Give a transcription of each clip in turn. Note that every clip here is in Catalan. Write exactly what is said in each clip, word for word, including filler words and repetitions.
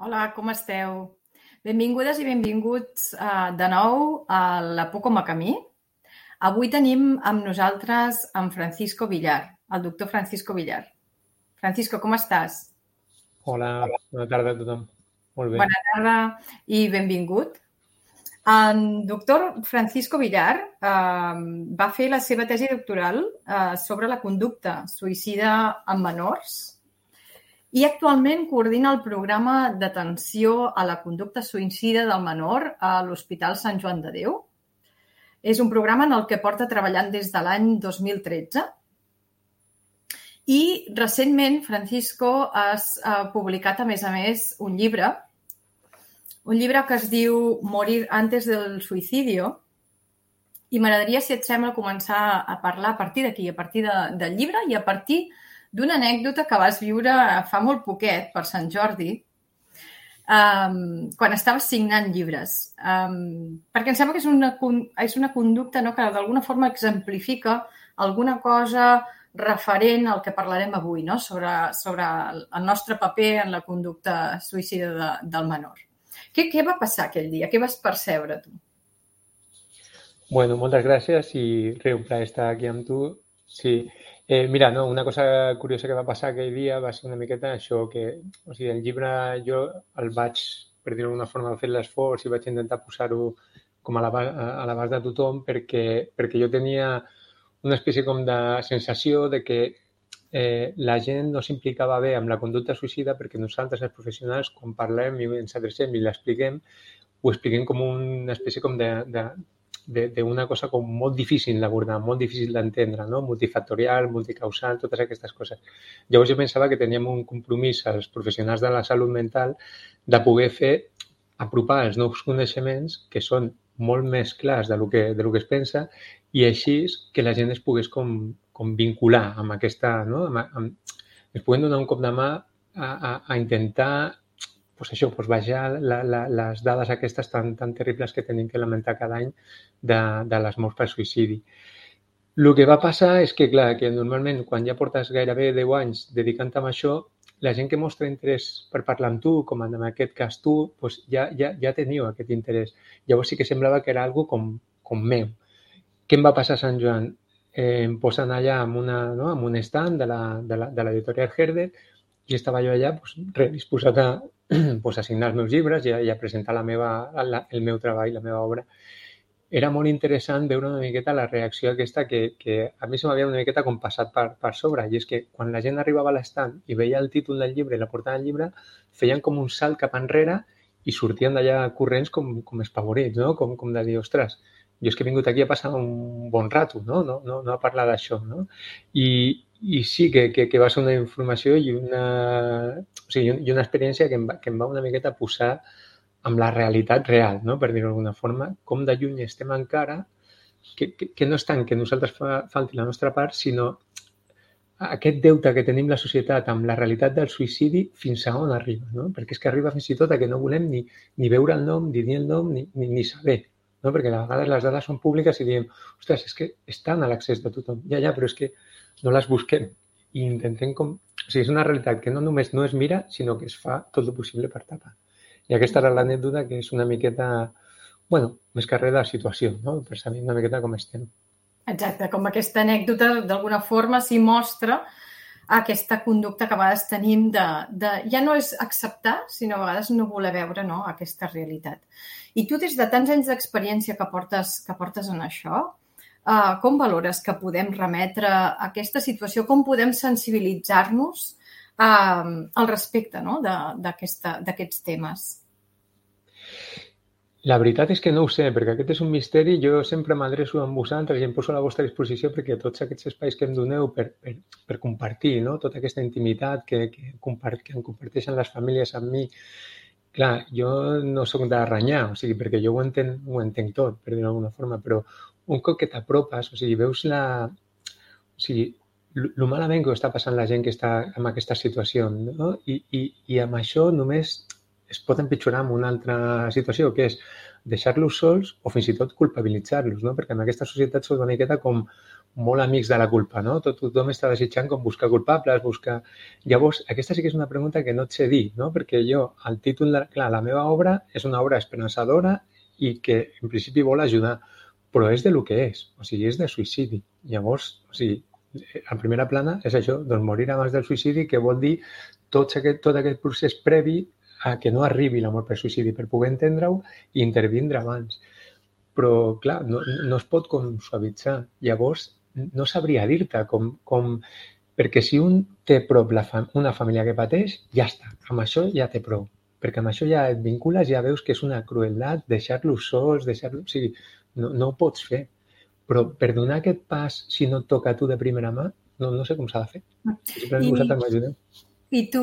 Hola, com esteu? Benvingudes i benvinguts uh, de nou a la Por com a camí. Avui tenim amb nosaltres en Francisco Villar, el doctor Francisco Villar. Francisco, com estàs? Hola, bona tarda a tothom. Molt bé. Bona tarda i benvingut. En doctor Francisco Villar eh, va fer la seva tesi doctoral eh, sobre la conducta suïcida en menors i actualment coordina el programa d'atenció a la conducta suïcida del menor a l'Hospital Sant Joan de Déu. És un programa en el que porta treballant des de l'any dos mil tretze. I recentment Francisco ha publicat, a més a més, un llibre, un llibre que es diu Morir antes del suicidio, i m'agradaria, si et sembla, començar a parlar a partir d'aquí, a partir de, del llibre i a partir d'una anècdota que vas viure fa molt poquet, per Sant Jordi, um, quan estaves signant llibres. Um, perquè em sembla que és una, és una conducta, no?, que d'alguna forma exemplifica alguna cosa referent al que parlarem avui, no?, sobre, sobre el nostre paper en la conducta suïcida de, del menor. Què, què va passar aquell dia? Què vas percebre, tu? Bueno, moltes gràcies i res, un plaer estar aquí amb tu. Sí. Eh, mira, no, una cosa curiosa que va passar aquell dia va ser una miqueta això, que o sigui, el llibre jo el vaig, per dir-ho d'alguna forma, fer l'esforç i vaig intentar posar-ho com a l'abast de tothom perquè, perquè jo tenia una espècie com de sensació de que eh, la gent no s'implicava bé amb la conducta suïcida perquè nosaltres, els professionals, quan parlem i ens adrecem i l'expliquem, ho expliquem com una espècie com de... de d'una cosa com molt difícil d'abordar, molt difícil d'entendre, no? Multifactorial, multicausal, totes aquestes coses. Llavors jo pensava que teníem un compromís als professionals de la salut mental de poder fer, apropar els nous coneixements que són molt més clars de lo que, de lo que es pensa i així que la gent es pogués com, com vincular amb aquesta... No? Amb, amb, es puguen donar un cop de mà a, a, a intentar pues això, pues baixar la, la, les dades aquestes tan, tan terribles que tenim que lamentar cada any de, de les morts per suïcidi. El que va passar és que, clar, que normalment quan ja portes gairebé deu anys dedicant a això, la gent que mostra interès per parlar amb tu, com en aquest cas tu, pues ja, ja, ja teniu aquest interès. Llavors sí que semblava que era algo com, com meu. Què em va passar a Sant Joan? Eh, em posen allà amb, una, no? amb un stand de l'editorial Herder i estava jo allà pues, res, disposat a, pues, a signar els meus llibres i a, i a presentar la meva, la, el meu treball, la meva obra. Era molt interessant veure una miqueta la reacció aquesta que, que a mi se m'havia una miqueta com passat per, per sobre. I és que quan la gent arribava a l'estand i veia el títol del llibre i la portada del llibre, feien com un salt cap enrere i sortien d'allà corrents com, com espavorits, no? Com, com de dir, ostres, jo és que he vingut aquí a passar un bon rato, no? No, no, no a parlar d'això, no? I, i sí que, que, que va ser una informació i una, o sigui, i una experiència que em, va, que em va una miqueta posar amb la realitat real, no? Per dir-ho d'alguna forma, com de lluny estem encara, que, que, que no és tant que nosaltres fa, falti la nostra part, sinó aquest deute que tenim la societat amb la realitat del suïcidi fins a on arriba, no? Perquè és que arriba fins i tot a que no volem ni, ni veure el nom, ni dir el nom, ni, ni, ni saber, no? Perquè a vegades les dades són públiques i diem, ostres, és que estan a l'accés de tothom. Ja, ja, però és que no les busquem i intentem com... O sigui, és una realitat que no només no es mira, sinó que es fa tot el possible per tapar. I aquesta era l'anècdota que és una miqueta, bueno, més que res de la situació, no? Per saber una miqueta com estem. Exacte, com aquesta anècdota d'alguna forma s'hi mostra aquesta conducta que a vegades tenim de, de... Ja no és acceptar, sinó a vegades no voler veure, no?, aquesta realitat. I tu, des de tants anys d'experiència que portes, que portes en això, Uh, com valores que podem remetre a aquesta situació? Com podem sensibilitzar-nos uh, al respecte, no?, d'aquests temes? La veritat és que no ho sé, perquè aquest és un misteri. Jo sempre m'adreço amb vosaltres i em poso a la vostra disposició perquè tots aquests espais que em doneu per, per, per compartir, no?, tota aquesta intimitat que, que, compart, que em comparteixen les famílies amb mi. Clar, jo no soc de renyar, o sigui, perquè jo ho entenc, ho entenc tot, per dir-ho d'alguna forma, però un cop que t'apropes, o sigui, veus la... O sigui, el malament que està passant la gent que està en aquesta situació, no? I, i, i amb això només es pot empitjorar amb una altra situació, que és deixar-los sols o fins i tot culpabilitzar-los, no? Perquè en aquesta societat som una miqueta com molt amics de la culpa, no? Tot, tothom està desitjant com buscar culpables, buscar... Llavors, aquesta sí que és una pregunta que no et sé dir, no? Perquè jo, el títol, de... clar, la meva obra és una obra esperançadora i que en principi vol ajudar, però és de lo que és, o sigui, és de suïcidi. Llavors, o sigui, a primera plana és això, doncs morir abans del suïcidi, que vol dir tot aquest, tot aquest procés previ a que no arribi la mort per suïcidi, per poder entendre-ho i intervindre abans. Però, clar, no, no es pot com suavitzar. Llavors, no sabria dir-te com, com... Perquè si un té prop la fam... una família que pateix, ja està. Amb això ja té prou. Perquè amb això ja et vincules, ja veus que és una crueltat deixar-los sols, deixar-los... O sigui, no, no ho pots fer. Però per donar aquest pas, si no et toca a tu de primera mà, no, no sé com s'ha de fer. Sempre I, vosaltres m'ajudeu. I tu,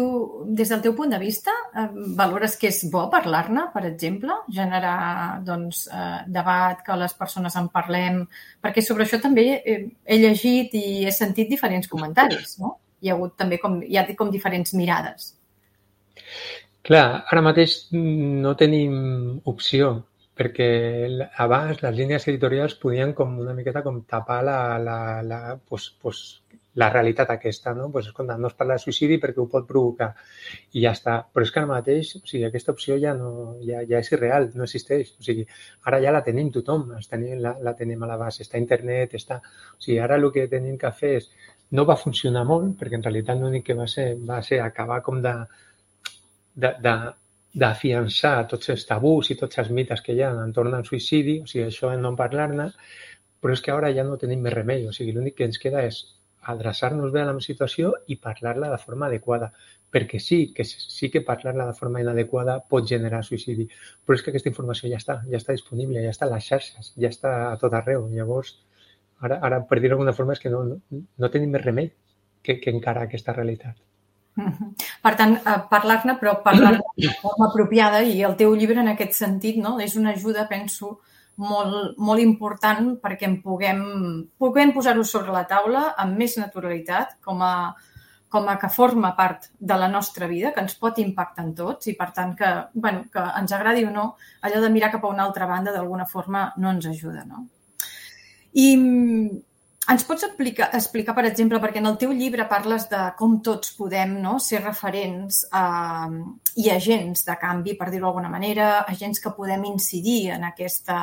des del teu punt de vista, eh, valores que és bo parlar-ne, per exemple? Generar doncs, eh, debat, que les persones en parlem? Perquè sobre això també he, he llegit i he sentit diferents comentaris, no? Hi ha hagut també com, hi ha com diferents mirades. Clar, ara mateix no tenim opció, perquè abans les línies editorials podien com una miqueta com tapar la, la, la, pues, pues, la realitat aquesta, no? Pues, escolta, no es parla de suïcidi perquè ho pot provocar i ja està. Però és que ara mateix, o sigui, aquesta opció ja, no, ja, ja és irreal, no existeix. O sigui, ara ja la tenim tothom, tenim, la, la tenim a l'abast, està a internet, està... O sigui, ara el que tenim que fer és... No va funcionar molt, perquè en realitat l'únic que va ser va ser acabar com de... de, de d'afiançar tots els tabús i tots els mites que hi ha entorn al suïcidi, o sigui, això no en parlar-ne, però és que ara ja no tenim més remei, o sigui, l'únic que ens queda és adreçar-nos bé a la situació i parlar-la de forma adequada, perquè sí que sí que parlar-la de forma inadequada pot generar suïcidi, però és que aquesta informació ja està, ja està disponible, ja està a les xarxes, ja està a tot arreu. Llavors, ara, ara per dir-ho d'alguna forma, és que no, no, no tenim més remei que, que encarar aquesta realitat. Per tant, parlar-ne, però parlar-ne de forma apropiada, i el teu llibre en aquest sentit, no? És una ajuda, penso, molt, molt important perquè en puguem, puguem posar-ho sobre la taula amb més naturalitat, com a, com a que forma part de la nostra vida, que ens pot impactar en tots i, per tant, que, bueno, que ens agradi o no, allò de mirar cap a una altra banda d'alguna forma no ens ajuda, no? I ens pots explicar, explicar, per exemple, perquè en el teu llibre parles de com tots podem, no, ser referents eh, i agents de canvi, per dir-ho d'alguna manera, agents que podem incidir en aquesta,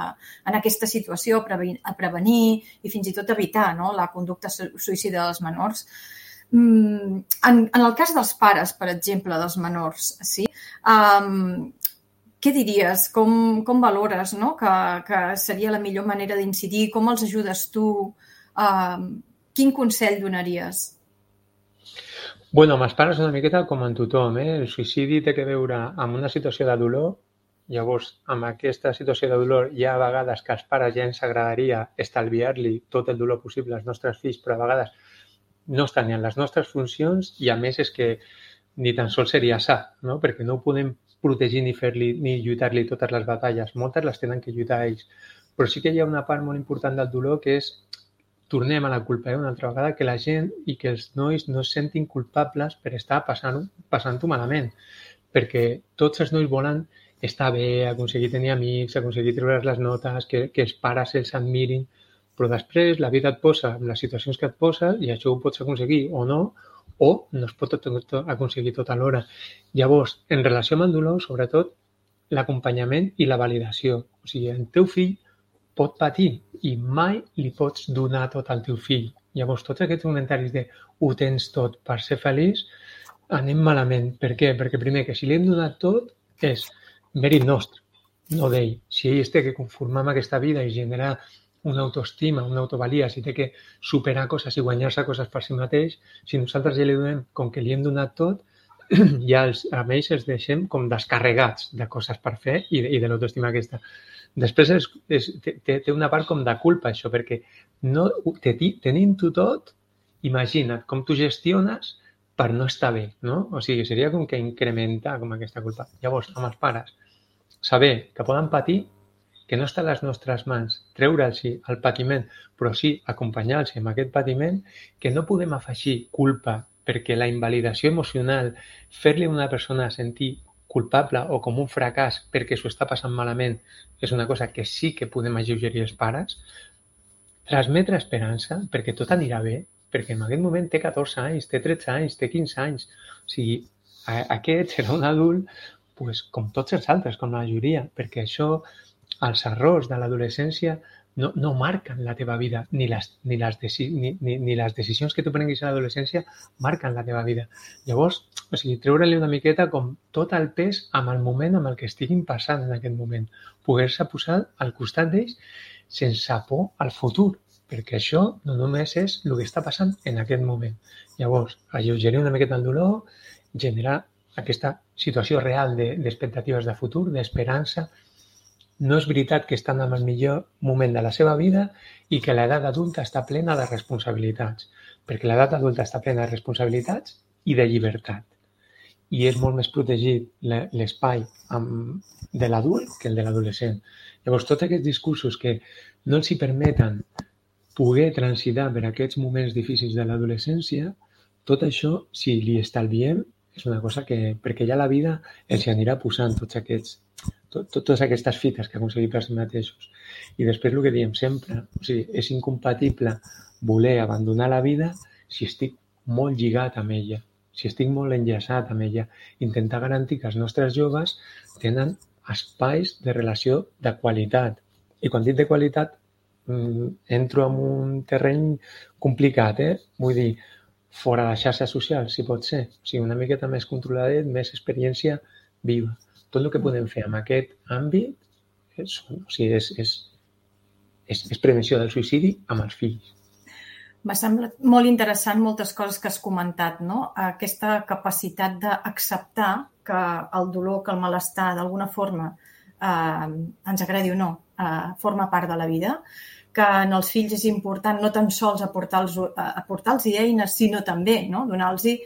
en aquesta situació, a prevenir, a prevenir i fins i tot evitar, no, la conducta suïcida dels menors. En, en el cas dels pares, per exemple, dels menors, sí? Um, què diries? Com, com valores, no, que, que seria la millor manera d'incidir? Com els ajudes tu? Uh, quin consell donaries? Bueno, amb els pares una miqueta com en tothom, eh? El suïcidi té que veure amb una situació de dolor. Llavors, amb aquesta situació de dolor hi ha vegades que als pares ja ens agradaria estalviar-li tot el dolor possible als nostres fills, però a vegades no estan ni en les nostres funcions i a més és que ni tan sols seria sa, no? Perquè no ho podem protegir ni fer-li ni lluitar-li totes les batalles. Moltes les tenen que lluitar ells. Però sí que hi ha una part molt important del dolor que és tornem a la culpa, eh? Una altra vegada, que la gent i que els nois no es sentin culpables per estar passant-ho passant-ho malament, perquè tots els nois volen estar bé, aconseguir tenir amics, aconseguir treure les notes, que, que els pares els admirin, però després la vida et posa en les situacions que et posa i això ho pots aconseguir o no, o no es pot aconseguir tot alhora. Llavors, en relació amb el dolor, sobretot, l'acompanyament i la validació. O sigui, el teu fill pot patir i mai li pots donar tot al teu fill. Llavors, tots aquests comentaris de ho tens tot per ser feliç, anem malament. Per què? Perquè primer, que si li hem donat tot, és mèrit nostre, no d'ell. Si ell es té que conformar amb aquesta vida i generar una autoestima, una autovalia, si té que superar coses i guanyar-se coses per si mateix, si nosaltres ja li donem com que li hem donat tot, ja els, a ells els deixem com descarregats de coses per fer i de, i de l'autoestima aquesta. Després és, és, té, té una part com de culpa, això, perquè no, te, tenint-ho tot, imagina't com tu gestiones per no estar bé, no? O sigui, seria com que incrementar com aquesta culpa. Llavors, amb els pares, saber que poden patir, que no està a les nostres mans treure'ls el patiment, però sí acompanyar-los amb aquest patiment, que no podem afegir culpa, perquè la invalidació emocional, fer-li a una persona sentir culpable o com un fracàs perquè s'ho està passant malament és una cosa que sí que podem alleugerir els pares, transmetre esperança perquè tot anirà bé, perquè en aquest moment té catorze anys, té tretze anys, té quinze anys. O sigui, aquest serà un adult pues, com tots els altres, com la majoria, perquè això, els errors de l'adolescència no, no marquen la teva vida, ni les, ni, les deci, ni, ni, ni les decisions que tu prenguis a l'adolescència marquen la teva vida. Llavors, o sigui, treure-li una miqueta com tot el pes amb el moment amb el que estiguin passant en aquest moment. Poder-se posar al costat d'ells sense por al futur, perquè això no només és el que està passant en aquest moment. Llavors, alleugerir una miqueta el dolor, generar aquesta situació real d'expectatives de futur, d'esperança. No és veritat que estan en el millor moment de la seva vida i que l'edat adulta està plena de responsabilitats, perquè l'edat adulta està plena de responsabilitats i de llibertat. I és molt més protegit l'espai de l'adult que el de l'adolescent. Llavors, tots aquests discursos que no els hi permeten poder transitar per aquests moments difícils de l'adolescència, tot això, si li estalviem, és una cosa que, perquè ja la vida els anirà posant tots aquests, tot, totes aquestes fites que aconseguim per si mateixos. I després el que diem sempre, o sigui, és incompatible voler abandonar la vida si estic molt lligat amb ella, si estic molt enllaçat amb ella. Intentar garantir que els nostres joves tenen espais de relació de qualitat. I quan dic de qualitat, entro en un terreny complicat, eh? Vull dir, fora de xarxes socials, si pot ser. O sigui, una miqueta més controladet, més experiència viva. Tot el que podem fer en aquest àmbit és, o sigui, és, és, és, és prevenció del suïcidi amb els fills. M'ha semblat molt interessant moltes coses que has comentat, no? Aquesta capacitat d'acceptar que el dolor, que el malestar, d'alguna forma, eh, ens agradi o no, eh, forma part de la vida, que en els fills és important no tan sols aportar-los aportar eines, sinó també, no? Donar-los eh,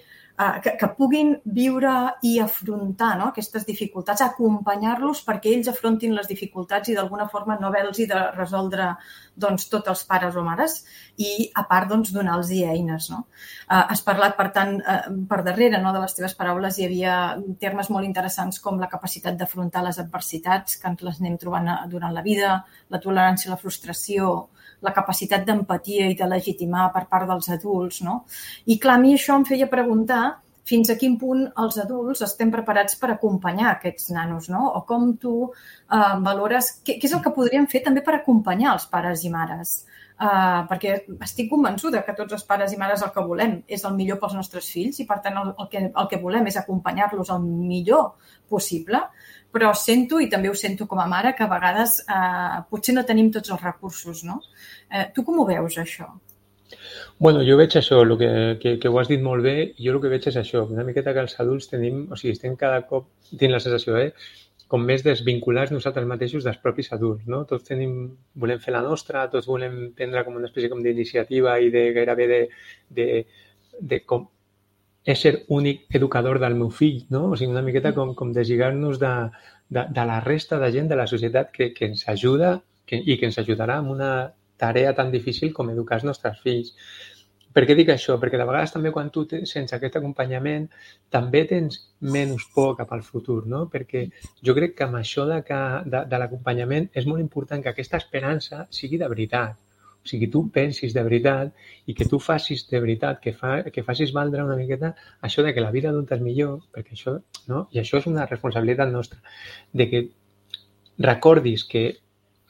que, que puguin viure i afrontar, no? Aquestes dificultats, acompanyar-los perquè ells afrontin les dificultats i d'alguna forma no haver-los de resoldre doncs, tots els pares o mares i, a part, doncs, donar-los eines. No? Eh, has parlat, per tant, eh, per darrere, no? De les teves paraules hi havia termes molt interessants com la capacitat d'afrontar les adversitats que ens les anem trobant durant la vida, la tolerància a la frustració, la capacitat d'empatia i de legitimar per part dels adults. No? I, clar, a mi això em feia preguntar fins a quin punt els adults estem preparats per acompanyar aquests nanos, no? O com tu eh, valores... Què, què és el que podríem fer també per acompanyar els pares i mares? Eh, perquè estic convençuda que tots els pares i mares el que volem és el millor pels nostres fills i, per tant, el, el, que, el que volem és acompanyar-los el millor possible, però sento, i també ho sento com a mare, que a vegades eh, potser no tenim tots els recursos, no? Eh, tu com ho veus, això? Bueno, jo veig això, el que, que, que ho has dit molt bé, i jo el que veig és això, una miqueta que els adults tenim, o sigui, estem cada cop, tinc la sensació, eh, com més desvinculats nosaltres mateixos dels propis adults, no? Tots tenim, volem fer la nostra, tots volem prendre com una espècie com d'iniciativa i de gairebé de, de, de com ésser únic educador del meu fill, no? O sigui, una miqueta com, com deslligar-nos de, de, de la resta de gent de la societat que, que ens ajuda que, i que ens ajudarà en una tarea tan difícil com educar els nostres fills. Per què dic això? Perquè de vegades també quan tu tens sense aquest acompanyament també tens menys por cap al futur, no? Perquè jo crec que amb això de, que, de, de l'acompanyament és molt important que aquesta esperança sigui de veritat. O sigui, tu pensis de veritat i que tu facis de veritat, que, fa, que facis valdre una miqueta això de que la vida adulta és millor, perquè això, no? I això és una responsabilitat nostra, de que recordis que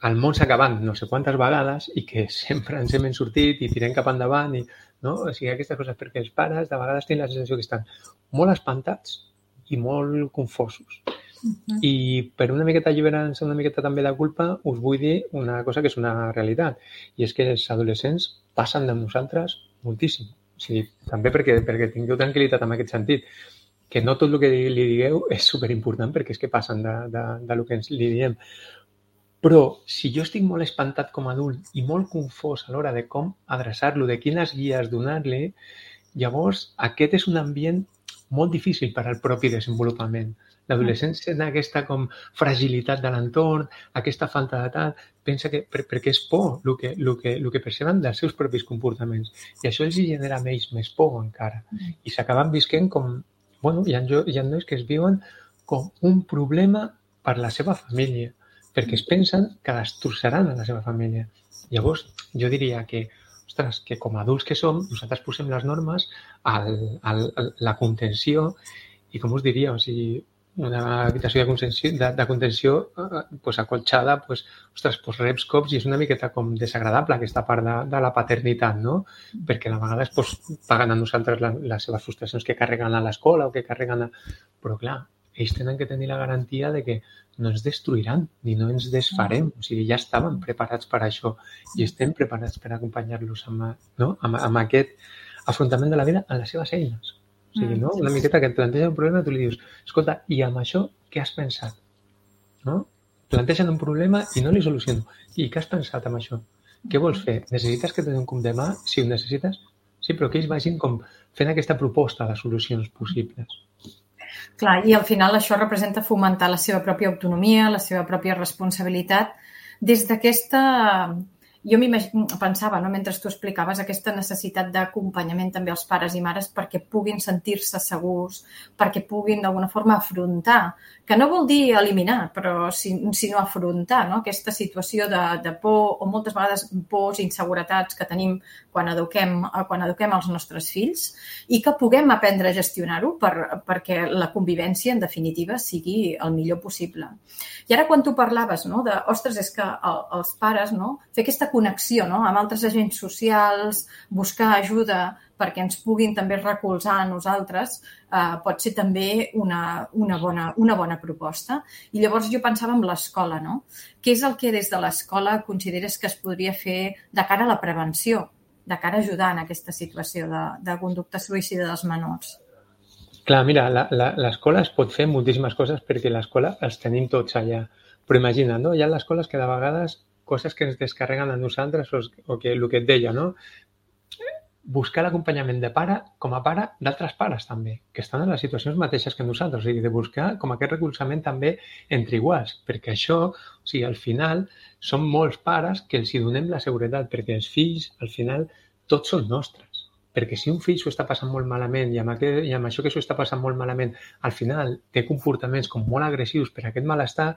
el món s'ha acabat no sé quantes vegades i que sempre ens hem sortit i tirem cap endavant i, no? O sigui, aquestes coses, perquè els pares de vegades tenen la sensació que estan molt espantats i molt confosos. Uh-huh. I per una miqueta alliberar-se una miqueta també de culpa us vull dir una cosa que és una realitat i és que els adolescents passen de nosaltres moltíssim. O sigui, també perquè, perquè tingueu tranquil·litat en aquest sentit, que no tot el que li digueu és superimportant perquè és que passen de, de, de lo que ens li diem. Però si jo estic molt espantat com a adult i molt confós a l'hora de com adreçar-lo, de quines guies donar-li, llavors aquest és un ambient molt difícil per al propi desenvolupament. L'adolescència té aquesta com fragilitat de l'entorn, aquesta falta de tal, pensa que per, perquè és por el que, el que, el que perceben dels seus propis comportaments. I això els genera més, més por encara. I s'acaben visquent com... Bueno, hi ha, hi ha nois que es viuen com un problema per la seva família, perquè es pensen que destrossaran a la seva família. Llavors, jo diria que, ostres, que com a adults que som, nosaltres posem les normes, al, al, la contenció, i com us diria, o sigui, una habitació de contenció, de, de contenció eh, pues, acolxada, pues, ostres, pues, reps cops i és una miqueta com desagradable aquesta part de, de la paternitat, no? Perquè a vegades pues, paguen a nosaltres la, les seves frustracions que carreguen a l'escola o que carreguen a... Però clar, ells tenen que tenir la garantia de que no ens destruiran ni no ens desfarem. O sigui, ja estaven preparats per això i estem preparats per acompanyar-los amb, no? amb, amb aquest afrontament de la vida en les seves eines. O sigui, no? Una miqueta que et planteja un problema i tu li dius, escolta, i amb això què has pensat? No? Plantegen un problema i no li soluciono. I què has pensat amb això? Què vols fer? Necessites que te donin un cop de mà? Si ho necessites? Sí, però que ells vagin com fent aquesta proposta de solucions possibles. Clar, i al final això representa fomentar la seva pròpia autonomia, la seva pròpia responsabilitat. Des d'aquesta... Jo pensava, no, mentre tu explicaves, aquesta necessitat d'acompanyament també als pares i mares perquè puguin sentir-se segurs, perquè puguin d'alguna forma afrontar, que no vol dir eliminar, però sinó afrontar, no? Aquesta situació de, de por o moltes vegades pors i inseguretats que tenim quan eduquem, quan eduquem els nostres fills i que puguem aprendre a gestionar-ho per, perquè la convivència, en definitiva, sigui el millor possible. I ara quan tu parlaves, no, de, ostres, és que el, els pares, no, fer aquesta connexió, no, amb altres agents socials, buscar ajuda perquè ens puguin també recolzar a nosaltres, eh, pot ser també una, una, bona, una bona proposta. I llavors jo pensava en l'escola, no? Què és el que des de l'escola consideres que es podria fer de cara a la prevenció, de cara a ajudar en aquesta situació de, de conducta suïcida dels menors? Clar, mira, l'escola es pot fer moltíssimes coses perquè l'escola els tenim tots allà. Però imagina, no? Hi ha les escoles que de vegades coses que ens descarreguen a nosaltres o, o que el que et deia, no? Buscar l'acompanyament de pare com a pare d'altres pares també, que estan en les situacions mateixes que nosaltres, o sigui, de buscar com aquest recolzament també entre iguals, perquè això, o sigui, al final, són molts pares que els hi donem la seguretat, perquè els fills, al final, tots són nostres. Perquè si un fill s'ho està passant molt malament i amb, aquest, i amb això que s'ho està passant molt malament, al final té comportaments com molt agressius per aquest malestar,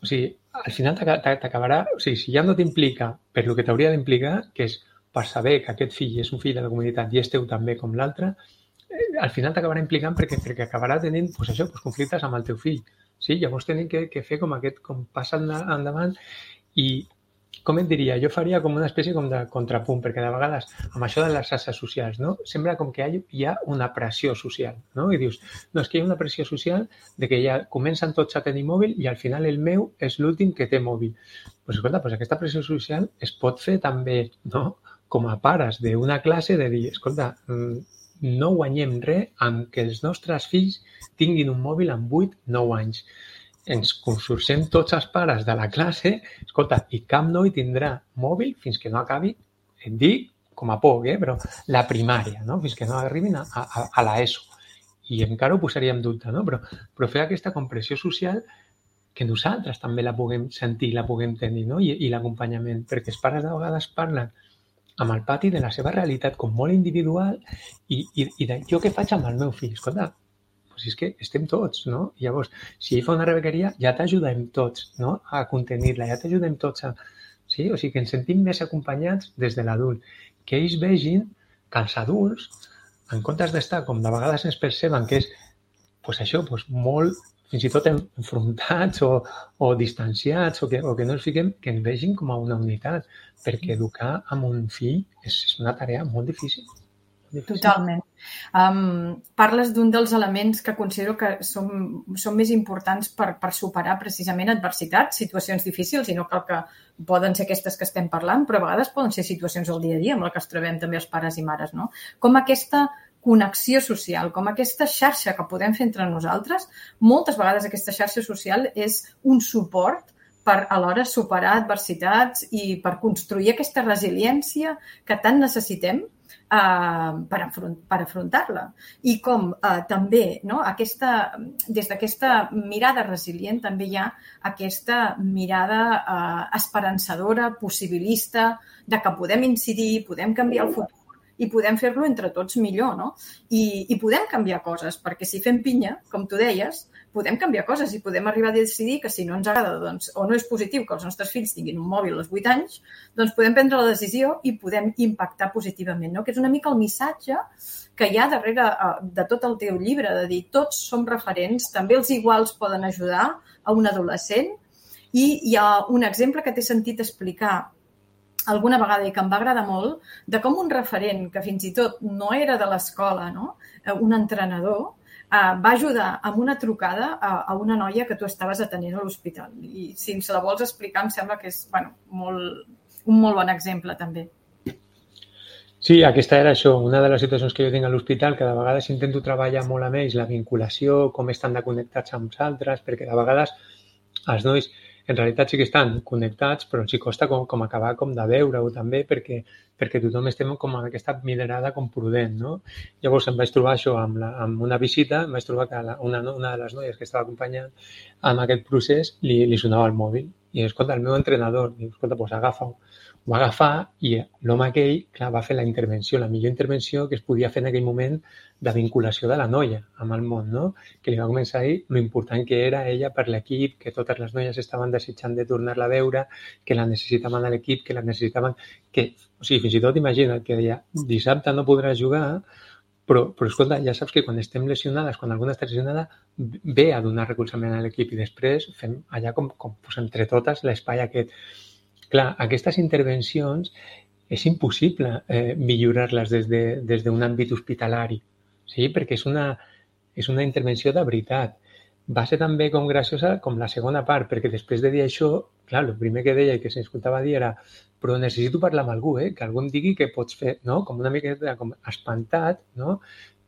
o sigui, al final t'acabarà, o sigui, si ja no t'implica per el que t'hauria d'implicar, que és per saber que aquest fill és un fill de la comunitat i és teu també com l'altre, eh, al final t'acabarà implicant perquè, perquè acabarà tenint pues això, pues, conflictes amb el teu fill. Sí? Llavors tenim que, que fer com aquest, com passa endavant i, com et diria, jo faria com una espècie com de contrapunt, perquè de vegades amb això de les xarxes socials, no? Sembla com que hi ha una pressió social, no? I dius, no, és que hi ha una pressió social de que ja comencen tots a tenir mòbil i al final el meu és l'últim que té mòbil. Pues, escolta, pues aquesta pressió social es pot fer també, no?, com a pares d'una classe de dir, escolta, no guanyem res amb que els nostres fills tinguin un mòbil amb vuit nou anys. Ens consorcem tots els pares de la classe, escolta, i cap noi tindrà mòbil fins que no acabi, et dic, com a poc, eh, però la primària, no? Fins que no arribin a, a, a l'ESO. I encara ho posaria en dubte, no? Però, però fer aquesta compressió social que nosaltres també la puguem sentir, la puguem tenir, no? I, i l'acompanyament, perquè els pares de vegades parlen amb el pati de la seva realitat com molt individual i, i, i de jo què faig amb el meu fill? Escolta, doncs és que estem tots, no? I llavors, si ell fa una rebequeria, ja t'ajudem tots, no?, a contenir-la, ja t'ajudem tots a... Sí? O sigui, que ens sentim més acompanyats des de l'adult. Que ells vegin que els adults, en comptes d'estar, com de vegades ens perceben, que és, doncs això, doncs molt... fins i tot enfrontats o, o distanciats o que, o que no els fiquem, que ens vegin com a una unitat, perquè educar amb un fill és, és una tarea molt difícil. Molt difícil. Totalment. Um, parles d'un dels elements que considero que són, són més importants per, per superar precisament adversitats, situacions difícils, i no cal que poden ser aquestes que estem parlant, però a vegades poden ser situacions del dia a dia amb les que ens trobem també els pares i mares, no? Com aquesta connexió social, com aquesta xarxa que podem fer entre nosaltres, moltes vegades aquesta xarxa social és un suport per alhora superar adversitats i per construir aquesta resiliència que tant necessitem eh, per, afront, per afrontar-la. I com eh, també, no, aquesta, des d'aquesta mirada resilient també hi ha aquesta mirada eh, esperançadora, possibilista, de que podem incidir, podem canviar el futur, i podem fer-lo entre tots millor, no? I, i podem canviar coses, perquè si fem pinya, com tu deies, podem canviar coses i podem arribar a decidir que si no ens agrada, doncs, o no és positiu que els nostres fills tinguin un mòbil als vuit anys, doncs podem prendre la decisió i podem impactar positivament, no? Que és una mica el missatge que hi ha darrere de tot el teu llibre, de dir tots som referents, també els iguals poden ajudar a un adolescent. I hi ha un exemple que t'he sentit explicar alguna vegada i que em va agradar molt, de com un referent que fins i tot no era de l'escola, no? Un entrenador, va ajudar amb una trucada a una noia que tu estaves atenent a l'hospital. I si ens la vols explicar, em sembla que és bueno, molt, un molt bon exemple, també. Sí, aquesta era això, una de les situacions que jo tinc a l'hospital, que de vegades intento treballar molt amb ells, la vinculació, com estan de connectats amb els altres, perquè de vegades els nois en realitat sí que estan connectats, però els hi costa com, com acabar com de veure-ho també, perquè, perquè tothom estem com amb aquesta mirada com prudent, no? Llavors em vaig trobar això amb, la, amb una visita, em vaig trobar que la, una, una de les noies que estava acompanyant amb aquest procés li, li sonava el mòbil. I, escolta, el meu entrenador, diu, escolta, doncs agafa-ho. Ho va agafar i l'home aquell, clar, va fer la intervenció, la millor intervenció que es podia fer en aquell moment de vinculació de la noia amb el món, no? Que li va començar a dir lo important que era ella per l'equip, que totes les noies estaven desitjant de tornar-la a veure, que la necessitaven a l'equip, que la necessitaven... Que, o sigui, fins i tot imagina't que deia, dissabte no podràs jugar, però, però escolta, ja saps que quan estem lesionades, quan alguna està lesionada, ve a donar recolzament a l'equip i després fem allà com, com pues, entre totes l'espai aquest. Clar, aquestes intervencions és impossible eh, millorar-les des de, des d'un àmbit hospitalari, sí? Perquè és una, és una intervenció de veritat. Va ser també com graciosa com la segona part, perquè després de dir això, clar, el primer que deia i que s'escoltava dir era però necessito parlar amb algú, eh? Que algú em digui què pots fer, no? Com una miqueta com espantat, no?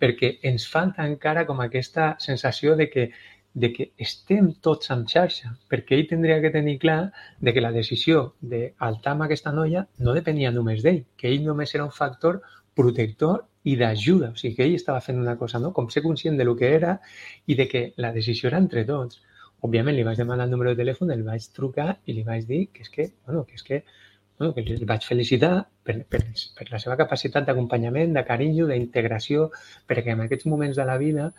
Perquè ens falta encara com aquesta sensació de que de que estem tots en xarxa, perquè ell tindria que tenir clar de que la decisió d'altar amb aquesta noia no depenia només d'ell, que ell només era un factor protector i d'ajuda, o sigui que ell estava fent una cosa, no? Com ser conscient de lo que era i de que la decisió era entre tots. Òbviament li vaig demanar el número de telèfon, el vaig trucar i li vaig dir que és que, bueno, que és que, bueno, que el vaig felicitar per, per, per la seva capacitat d'acompanyament, de carinyo, d'integració, perquè en aquests moments de la vida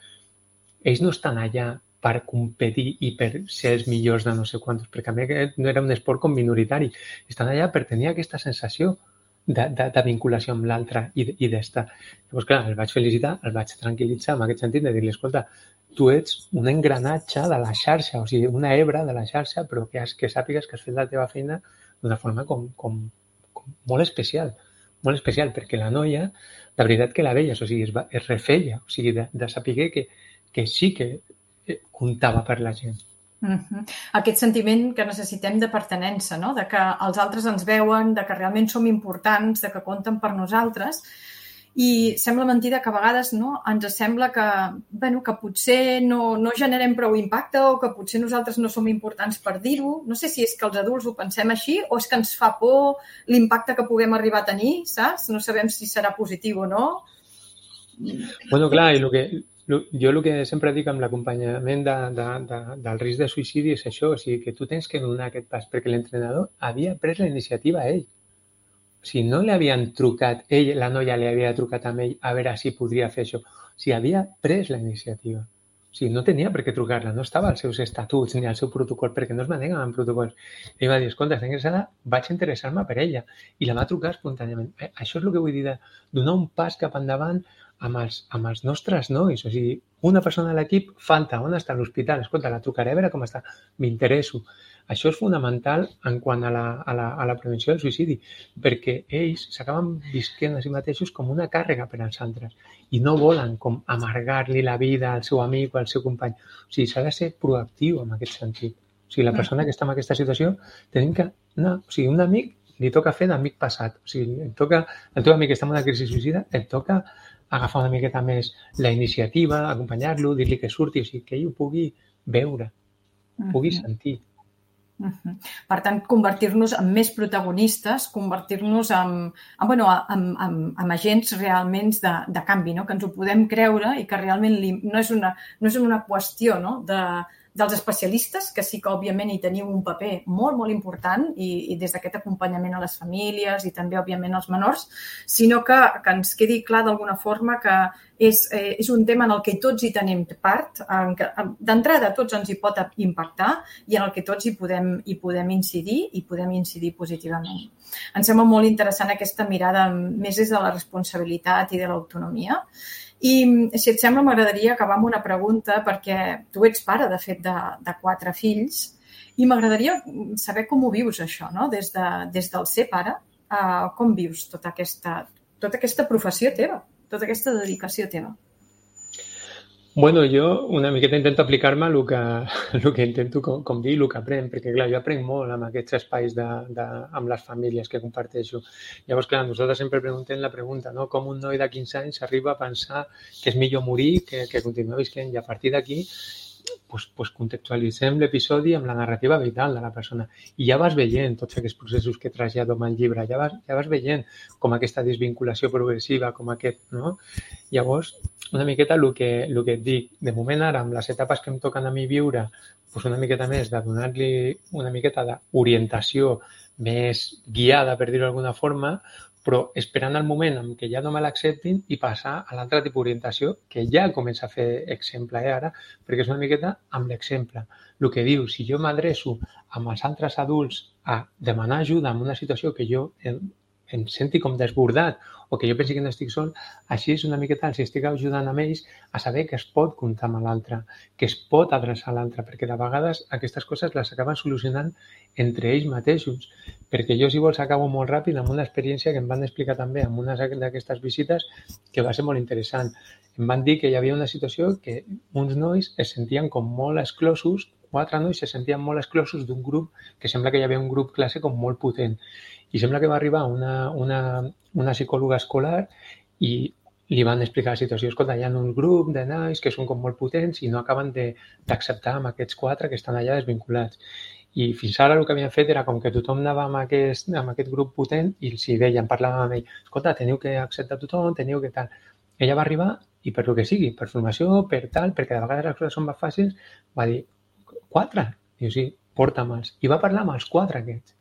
ells no estan allà per competir i per ser els millors de no sé quantos, perquè a mi no era un esport com minoritari. Estan allà per tenir aquesta sensació de, de, de vinculació amb l'altre i, i d'estar. Llavors, clar, el vaig felicitar, el vaig tranquil·litzar en aquest sentit de dir-li, escolta, tu ets un engranatge de la xarxa, o sigui, una hebra de la xarxa, però que, has, que sàpigues que has fet la teva feina d'una forma com, com, com molt especial, molt especial, perquè la noia, de veritat que la veies, o sigui, es, va, es refeia, o sigui, de, de saber que, que sí que comptava per la gent. Uh-huh. Aquest sentiment que necessitem de pertinença, no? De que els altres ens veuen, de que realment som importants, de que compten per nosaltres. I sembla mentida que a vegades no, ens sembla que, bueno, que potser no, no generem prou impacte o que potser nosaltres no som importants per dir-ho. No sé si és que els adults ho pensem així o és que ens fa por l'impacte que puguem arribar a tenir, saps? No sabem si serà positiu o no. Bueno, clar, i el que... Jo el que sempre dic amb l'acompanyament de, de, de, del risc de suïcidi és això, o sigui, que tu tens que donar aquest pas, perquè l'entrenador havia pres la iniciativa a ell. O sigui, no li havien trucat, ell, la noia li havia trucat a ell a veure si podria fer això. O sigui, havia pres la iniciativa. O sigui, no tenia per què trucar-la, no estava als seus estatuts ni al seu protocol, perquè no es maneguen en protocols. Ell va dir, escolta, està interessada, vaig interessar-me per ella. I la va trucar espontàniament. Eh, això és el que vull dir, de donar un pas cap endavant amb els, amb els nostres nois. O sigui, una persona de l'equip falta, on està l'hospital? Escolta, la trucaré a veure com està, m'interesso. Això és fonamental en quant a la, a la, a la prevenció del suïcidi, perquè ells s'acaben visquent a si mateixos com una càrrega per als altres i no volen com amargar-li la vida al seu amic o al seu company. O sigui, s'ha de ser proactiu en aquest sentit. O sigui, la persona que està en aquesta situació tenim que anar, o sigui, un amic li toca fer d'amic passat. O sigui, et toca, el teu amic que està en una crisi suïcida, et toca agafar una miqueta més la iniciativa, acompanyar-lo, dir-li que surti, o sigui, que ell ho pugui veure, ho pugui sentir. Uh-huh. Per tant, convertir-nos en més protagonistes, convertir-nos en, en, bueno, en, en, en agents realment de, de canvi, no? Que ens ho podem creure i que realment li, no, és una, no és una qüestió, no? de, dels especialistes, que sí que, òbviament, hi teniu un paper molt, molt important i, i des d'aquest acompanyament a les famílies i també, òbviament, als menors, sinó que, que ens quedi clar d'alguna forma que és, eh, és un tema en el que tots hi tenim part, d'entrada tots ens hi pot impactar i en el que tots hi podem, hi podem incidir i podem incidir positivament. Em sembla molt interessant aquesta mirada més des de la responsabilitat i de l'autonomia. I, si et sembla, m'agradaria acabar amb una pregunta, perquè tu ets pare, de fet, de, de quatre fills, i m'agradaria saber com ho vius, això, no? Des, de, des del ser pare, uh, com vius tota aquesta, tota aquesta professió teva, tota aquesta dedicació teva? Bueno, jo una miqueta intento aplicar-me el que, el que intento, com, com dir, el que aprenc, perquè, clar, jo aprenc molt amb aquests espais de, de, amb les famílies que comparteixo. Llavors, clar, nosaltres sempre preguntem la pregunta, no? Com un noi de quinze anys arriba a pensar que és millor morir que, que continuar visquent, i a partir d'aquí pues, pues contextualitzem l'episodi amb la narrativa vital de la persona. I ja vas veient tots aquests processos que trasllado amb el llibre, ja vas, ja vas veient com aquesta desvinculació progressiva, com aquest, no? Llavors, una miqueta el que, el que et dic, de moment ara, amb les etapes que em toquen a mi viure, pues una miqueta més de donar-li una miqueta d'orientació més guiada, per dir-ho d'alguna forma, però esperant el moment en què ja no me l'acceptin i passar a l'altre tipus d'orientació que ja comença a fer exemple eh, ara, perquè és una miqueta amb l'exemple. El que diu, si jo m'adreço amb els altres adults a demanar ajuda en una situació que jo em, em senti com desbordat o que jo pensi que no estic sol, així és una miqueta els estic ajudant amb ells a saber que es pot comptar amb l'altre, que es pot adreçar a l'altre, perquè de vegades aquestes coses les acaben solucionant entre ells mateixos. Perquè jo, si vols, acabo molt ràpid amb una experiència que em van explicar també en una d'aquestes visites que va ser molt interessant. Em van dir que hi havia una situació que uns nois es sentien com molt exclosos, quatre nois se sentien molt exclosos d'un grup que sembla que hi havia un grup classe com molt potent. I sembla que va arribar una, una, una psicòloga escolar i li van explicar la situació. Escolta, hi ha un grup de nois que són com molt potents i no acaben d'acceptar amb aquests quatre que estan allà desvinculats. I fins ara el que havien fet era com que tothom anava amb aquest, amb aquest grup potent i els hi deien, parlaven amb ell, escolta, teniu que acceptar tothom, teniu que tal. Ella va arribar i per el que sigui, per formació, per tal, perquè de vegades les coses són més fàcils, va dir, quatre? Diu, sí, porta'm-els. I va parlar amb els quatre aquests.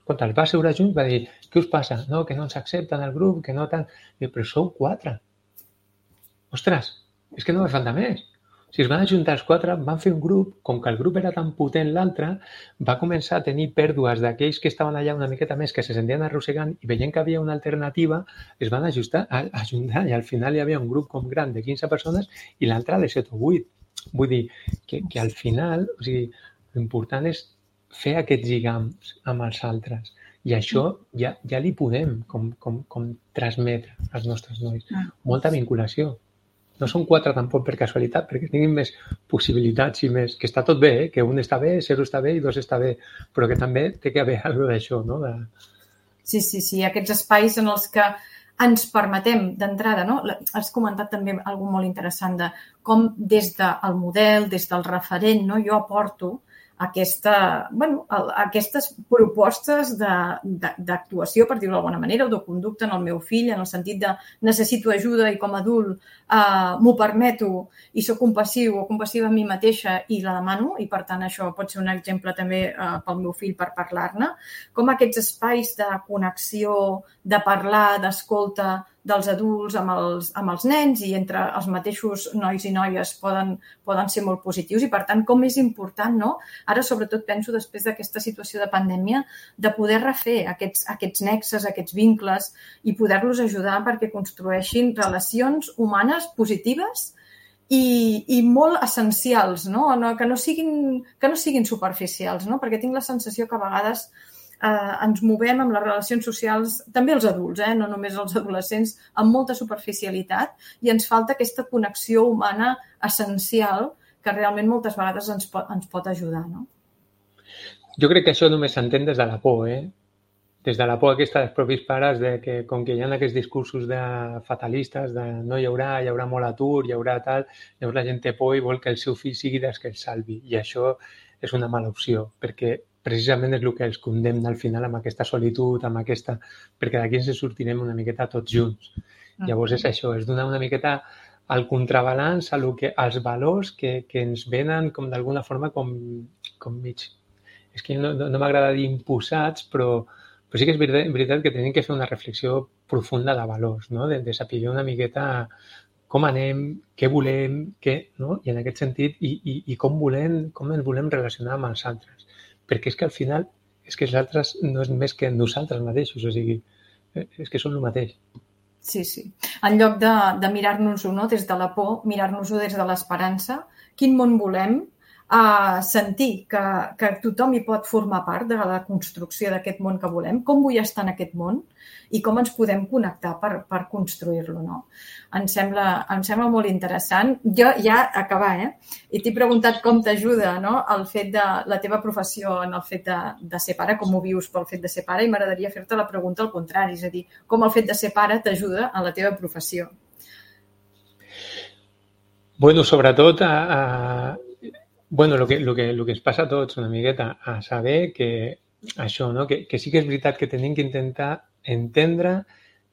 Escolta, els va asseure junts, va dir, què us passa? No, que no ens accepten el grup, que no tal. Diu, però sou quatre. Ostres, és que no me falta més. Si es van ajuntar els quatre, van fer un grup, com que el grup era tan potent l'altre, va començar a tenir pèrdues d'aquells que estaven allà una miqueta més, que se sentien arrossegant i veient que havia una alternativa, es van ajustar, a, a ajuntar i al final hi havia un grup com gran de quinze persones i l'altre de set o vuit. Vull dir que, que al final, o sigui, l'important és fer aquests lligams amb els altres i això ja, ja li podem com, com, com transmetre als nostres nois. Molta vinculació. No són quatre tampoc per casualitat, perquè tinguin més possibilitats i més... Que està tot bé, eh? Que un està bé, zero està bé i dos està bé, però que també té que haver alguna d'això, no? De... Sí, sí, sí. Aquests espais en els que ens permetem d'entrada, no? Has comentat també alguna molt interessant de com des del model, des del referent, no? Jo aporto aquesta, bueno, aquestes propostes d'actuació, per dir-ho d'alguna manera, o de conducta en el meu fill, en el sentit de necessito ajuda i com a adult eh, m'ho permeto i soc compassiu o compassiva amb mi mateixa i la demano, i per tant això pot ser un exemple també eh, pel meu fill per parlar-ne, com aquests espais de connexió, de parlar, d'escolta dels adults amb els, amb els nens i entre els mateixos nois i noies poden, poden ser molt positius i, per tant, com és important, no? Ara, sobretot, penso, després d'aquesta situació de pandèmia, de poder refer aquests, aquests nexes, aquests vincles i poder-los ajudar perquè construeixin relacions humanes positives i, i molt essencials, no? No, que, no siguin, que no siguin superficials, no? Perquè tinc la sensació que a vegades Eh, ens movem amb les relacions socials, també els adults, eh, no només els adolescents, amb molta superficialitat i ens falta aquesta connexió humana essencial que realment moltes vegades ens pot, ens pot ajudar, no? Jo crec que això només s'entén des de la por, eh? Des de la por aquesta dels propis pares de que com que hi ha aquests discursos de fatalistes de no hi haurà, hi haurà molt atur, hi haurà tal, llavors la gent té por i vol que el seu fill sigui dels que el salvi i això és una mala opció perquè precisament és el que els condemna al final amb aquesta solitud, amb aquesta... perquè d'aquí ens sortirem una miqueta tots junts. Llavors és això, és donar una miqueta al contrabalanç, a lo que, als valors que, que ens venen com d'alguna forma com, com mig... És que no, no, no m'agrada dir imposats, però, però sí que és veritat, veritat que tenim que fer una reflexió profunda de valors, no? de, de saber una miqueta com anem, què volem, què, no? I en aquest sentit, i, i, i com volem, com ens volem relacionar amb els altres. Perquè és que al final, és que els altres no és més que nosaltres mateixos, o sigui, és que són el mateix. Sí, sí. En lloc de, de mirar-nos-ho, no? Des de la por, mirar-nos-ho des de l'esperança, quin món volem, a sentir que, que tothom hi pot formar part de la construcció d'aquest món que volem, com vull estar en aquest món i com ens podem connectar per, per construir-lo, no? Em sembla, em sembla molt interessant. Jo ja acabar, eh? I t'he preguntat com t'ajuda, no? El fet de la teva professió en el fet de, de ser pare, com ho vius pel fet de ser pare, i m'agradaria fer-te la pregunta al contrari, és a dir, com el fet de ser pare t'ajuda en la teva professió. Bueno, sobretot a, a Bueno, lo que, lo, que, lo que ens passa a tots una miqueta, a saber que això, no? que, que sí que és veritat que tenim que intentar entendre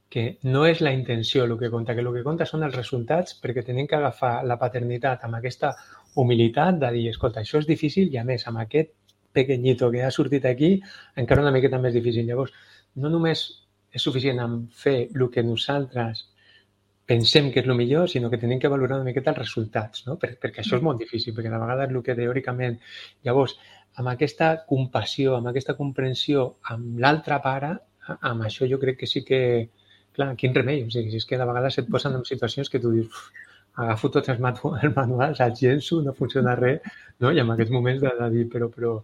que no és la intenció el que compta, que el que compta són els resultats, perquè tenim que agafar la paternitat amb aquesta humilitat de dir, escolta, això és difícil i a més amb aquest pequeñito que ha sortit aquí encara una miqueta més difícil. Llavors, no només és suficient amb fer el que nosaltres pensem que és el millor, sinó que tenim que valorar una miqueta els resultats, no? Per, perquè això és molt difícil, perquè de vegades el que teòricament... Llavors, amb aquesta compassió, amb aquesta comprensió amb l'altre pare, amb això jo crec que sí que... Clar, quin remei, o sigui, és que de vegades et posen en situacions que tu dius agafo tots els manuals, els llenço, no funciona res, no? I en aquests moments de, de dir, però, però,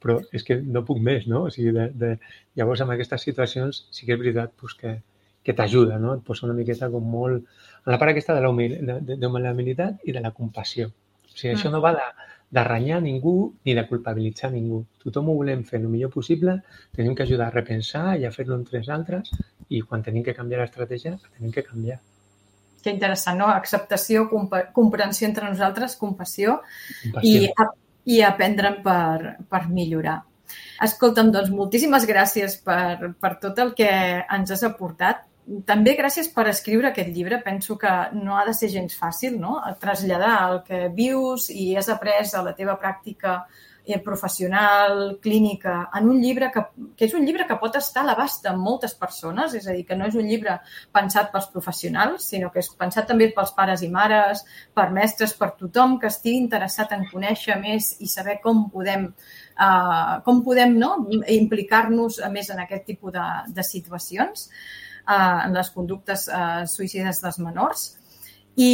però és que no puc més, no? O sigui, de, de... Llavors, en aquestes situacions sí que és veritat pues, que que t'ajuda, no? Et posa una miqueta com molt... En la part aquesta de la, humil... de, de, de la humilitat i de la compassió. O sigui, mm. això no va de, de renyar ningú ni de culpabilitzar ningú. Tothom ho volem fer el millor possible, tenim que ajudar a repensar i a fer-lo entre els altres i quan tenim que canviar l'estratègia, tenim que canviar. Que interessant, no? Acceptació, comp- comprensió entre nosaltres, compassió, compassió. I, i aprendre'n per, per millorar. Escolta'm, doncs, moltíssimes gràcies per, per tot el que ens has aportat. També gràcies per escriure aquest llibre. Penso que no ha de ser gens fàcil, no? Traslladar el que vius i has après a la teva pràctica professional, clínica, en un llibre que, que és un llibre que pot estar a l'abast de moltes persones, és a dir, que no és un llibre pensat pels professionals, sinó que és pensat també pels pares i mares, per mestres, per tothom que estigui interessat en conèixer més i saber com podem Uh, com podem no? implicar-nos més en aquest tipus de, de situacions, uh, en les conductes uh, suïcides dels menors. I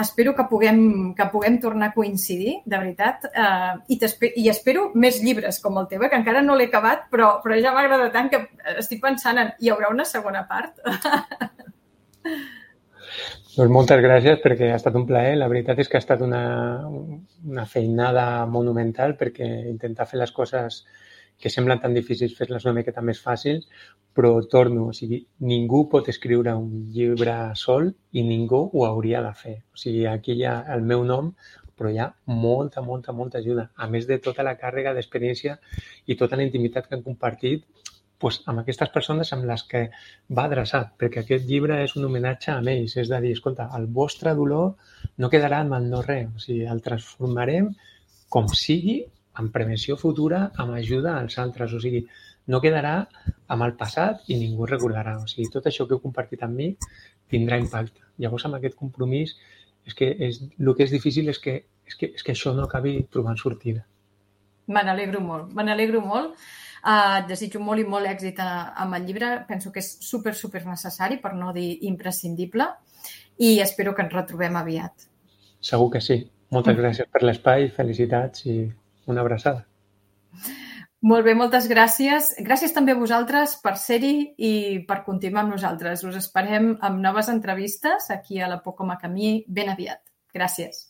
espero que puguem, que puguem tornar a coincidir, de veritat, uh, i, i espero més llibres com el teu, que encara no l'he acabat, però, però ja m'agrada tant que estic pensant en hi haurà una segona part. Doncs moltes gràcies perquè ha estat un plaer. La veritat és que ha estat una, una feinada monumental perquè intentar fer les coses que semblen tan difícils, fer-les una miqueta més fàcils, però torno, o sigui, ningú pot escriure un llibre sol i ningú ho hauria de fer. O sigui, aquí hi ha el meu nom, però hi ha molta, molta, molta ajuda. A més de tota la càrrega d'experiència i tota la intimitat que han compartit pues, amb aquestes persones amb les que va adreçat, perquè aquest llibre és un homenatge a ells, és de dir, escolta, el vostre dolor no quedarà en el no res, o sigui, el transformarem com sigui, en prevenció futura, amb ajuda als altres, o sigui, no quedarà amb el passat i ningú recordarà, o sigui, tot això que heu compartit amb mi tindrà impacte. Llavors, amb aquest compromís, és que és, el que és difícil és que, és que, és que això no acabi trobant sortida. Me n'alegro molt, me n'alegro molt. Uh, et desitjo molt i molt èxit amb el llibre. Penso que és super, super necessari, per no dir imprescindible, i espero que ens retrobem aviat. Segur que sí. Moltes gràcies per l'espai, felicitats i una abraçada. Molt bé, moltes gràcies. Gràcies també a vosaltres per ser-hi i per continuar amb nosaltres. Us esperem amb noves entrevistes aquí a la Poco Macamí ben aviat. Gràcies.